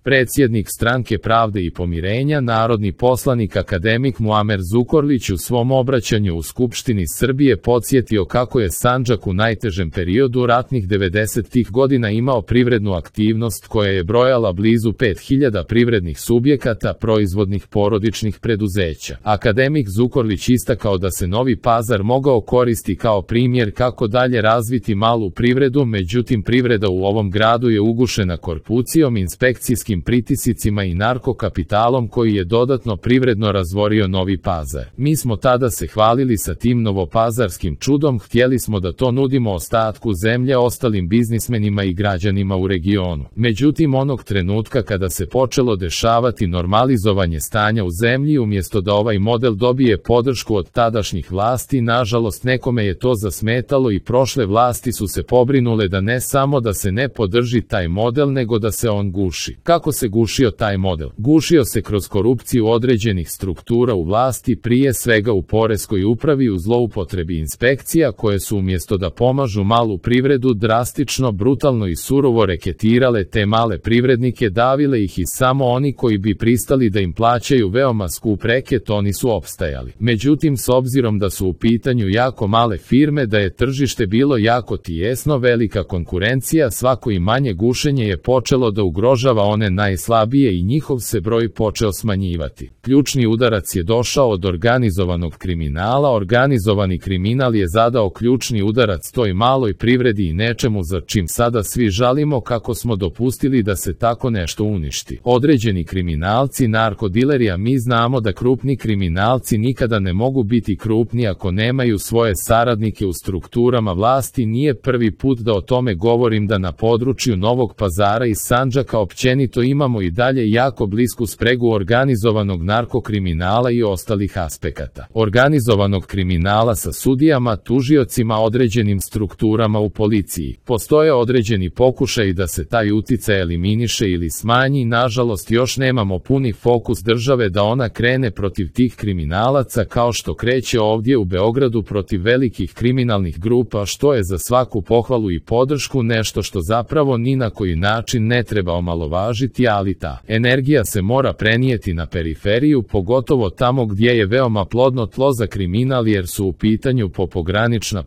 Predsjednik Stranke pravde i pomirenja, narodni poslanik akademik Muamer Zukorlić u svom obraćanju u Skupštini Srbije podsjetio kako je Sandžak u najtežem periodu ratnih 90-ih godina imao privrednu aktivnost koja je brojala blizu 5000 privrednih subjekata, proizvodnih porodičnih preduzeća. Akademik Zukorlić istakao da se Novi Pazar mogao koristiti kao primjer kako dalje razviti malu privredu, međutim privreda u ovom gradu je ugušena korupcijom, inspekcijskim pritiscima i narkokapitalom koji je dodatno privredno razvorio Novi Pazar. Mi smo tada se hvalili sa tim novopazarskim čudom, htjeli smo da to nudimo ostatku zemlje, ostalim biznismenima i građanima u regionu. Međutim, onog trenutka kada se počelo dešavati normalizovanje stanja u zemlji, umjesto da ovaj model dobije podršku od tadašnjih vlasti, nažalost nekome je to zasmetalo i prošle vlasti su se pobrinule da ne samo da se ne podrži taj model, nego da se on guši. Kako se gušio taj model? Gušio se kroz korupciju određenih struktura u vlasti, prije svega u poreskoj upravi, u zloupotrebi inspekcija koje su umjesto da pomažu malu privredu drastično, brutalno i surovo reketirale te male privrednike, davile ih i samo oni koji bi pristali da im plaćaju veoma skup reket, oni su opstajali. Međutim, s obzirom da su u pitanju jako male firme, da je tržište bilo jako tijesno, velika konkurencija, svako i manje gušenje je počelo da ugrožava one najslabije i njihov se broj počeo smanjivati. Ključni udarac je došao od organizovanog kriminala. Organizovani kriminal je zadao ključni udarac toj maloj privredi i nečemu za čim sada svi žalimo kako smo dopustili da se tako nešto uništi. Određeni kriminalci, narkodileri, a mi znamo da krupni kriminalci nikada ne mogu biti krupni ako nemaju svoje saradnike u strukturama vlasti. Nije prvi put da o tome govorim, da na području Novog Pazara i Sandžaka općenito imamo i dalje jako blisku spregu organizovanog narkokriminala i ostalih aspekata organizovanog kriminala sa sudijama, tužiocima, određenim strukturama u policiji. Postoje određeni pokušaj da se taj uticaj eliminiše ili smanji. Nažalost, još nemamo puni fokus države da ona krene protiv tih kriminalaca kao što kreće ovdje u Beogradu protiv velikih kriminalnih grupa, što je za svaku pohvalu i podršku, nešto što zapravo ni na koji način ne treba omalovažiti, ali ta energija se mora prenijeti na periferiju, pogotovo tamo gdje je veoma plodno tlo za kriminal, jer su u pitanju pogranična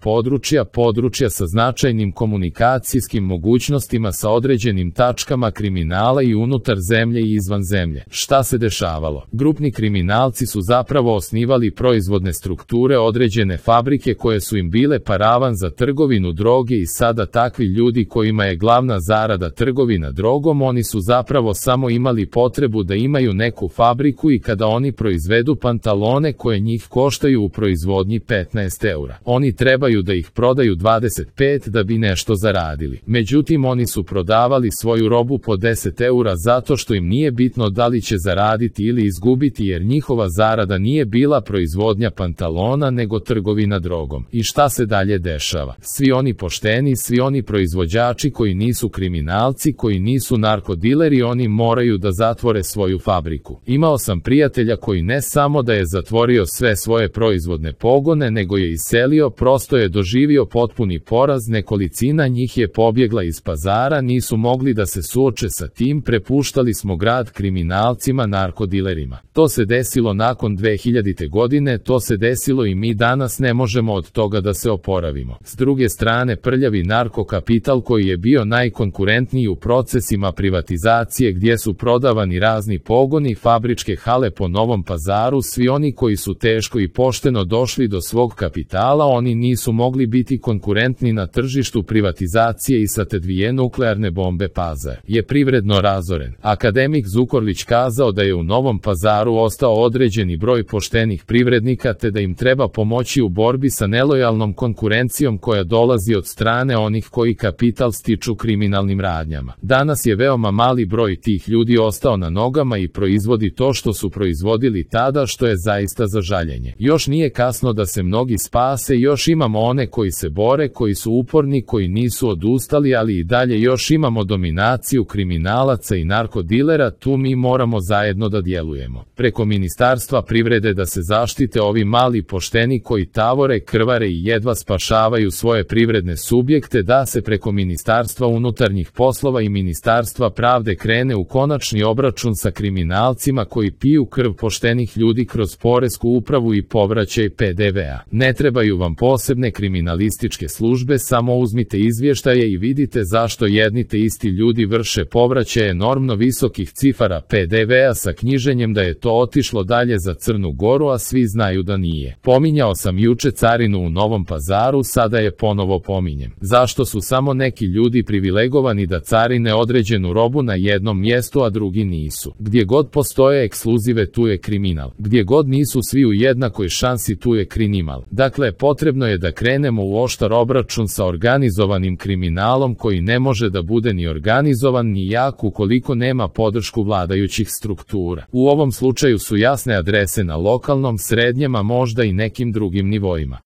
područja sa značajnim komunikacijskim mogućnostima sa određenim tačkama kriminala i unutar zemlje i izvan zemlje. Šta se dešavalo? Grupni kriminalci su zapravo osnivali proizvodne strukture, određene fabrike koje su im bile paravan za trgovinu droge i sada takvi ljudi kojima je glavna zarada trgovina drogom, oni su zapravo samo imali potrebu da imaju neku fabriku i kada oni proizvedu pantalone koje njih koštaju u proizvodnji 15 eura, oni trebaju da ih prodaju 25 da bi nešto zaradili. Međutim, oni su prodavali svoju robu po 10 eura zato što im nije bitno da li će zaraditi ili izgubiti, jer njihova zarada nije bila proizvodnja pantalona nego trgovina drogom. I šta se dalje dešava? Svi oni pošteni, svi oni proizvođači koji nisu kriminalci, koji nisu narkodileri, oni moraju da zatvore svoju fabriku. Imao sam prijatelja koji ne samo da je zatvorio sve svoje proizvodne pogone, nego je iselio, prosto je doživio potpuni poraz, nekolicina njih je pobjegla iz Pazara, nisu mogli da se suoče sa tim, prepuštali smo grad kriminalcima, narkodilerima. To se desilo nakon 2000. godine, to se desilo i mi danas ne možemo od toga da se oporavimo. S druge strane, prljavi narkokapital koji je bio najkonkurentniji u procesima privatizacije gdje su prodavani razni pogoni, fabričke hale po Novom Pazaru, svi oni koji su teško i pošteno došli do svog kapitala, oni nisu mogli biti konkurentni na tržištu privatizacije i sa te dvije nuklearne bombe Pazar je privredno razoren. Akademik Zukorlić kazao da je u Novom Pazaru ostao određeni broj poštenih privrednika te da im treba pomoći u borbi sa nelojalnom konkurencijom koja dolazi od strane onih koji kapital stiču kriminalnim radnjama. Danas je veoma mali broj tih ljudi ostao na nogama i proizvodi to što su proizvodili tada, što je zaista za žaljenje. Još nije kasno da se mnogi spase, još imamo one koji se bore, koji su uporni, koji nisu odustali, ali i dalje još imamo dominaciju kriminalaca i narkodilera, tu mi moramo zajedno da djelujemo. Preko Ministarstva privrede da se zaštite ovi mali pošteni koji tavore, krvare i jedva spašavaju svoje privredne subjekte, da se preko Ministarstva unutarnjih poslova i Ministarstva pravde krene u konačni obračun sa kriminalcima koji piju krv poštenih ljudi kroz poresku upravu i povraćaj PDV-a. Ne trebaju vam posebne kriminalističke službe, samo uzmite izvještaje i vidite zašto jedni te isti ljudi vrše povraćaje enormno visokih cifara PDV-a sa knjiženjem da je to otišlo dalje za Crnu Goru, a svi znaju da nije. Pominjao sam juče carinu u Novom Pazaru, sada je ponovo pominjem. Zašto su samo neki ljudi privilegovani da carine određenu robu na jednom mjestu, a drugi nisu? Gdje god postoje ekskluzive, tu je kriminal. Gdje god nisu svi u jednakoj šansi, tu je kriminal. Dakle, potrebno je da krenemo u oštar obračun sa organizovanim kriminalom koji ne može da bude ni organizovan ni jak ukoliko nema podršku vladajućih struktura. U ovom slučaju su jasne adrese na lokalnom, srednjem, a možda i nekim drugim nivoima.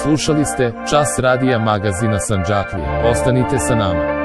Slušali ste Čas radija magazina Sandžaklije. Ostanite sa nama.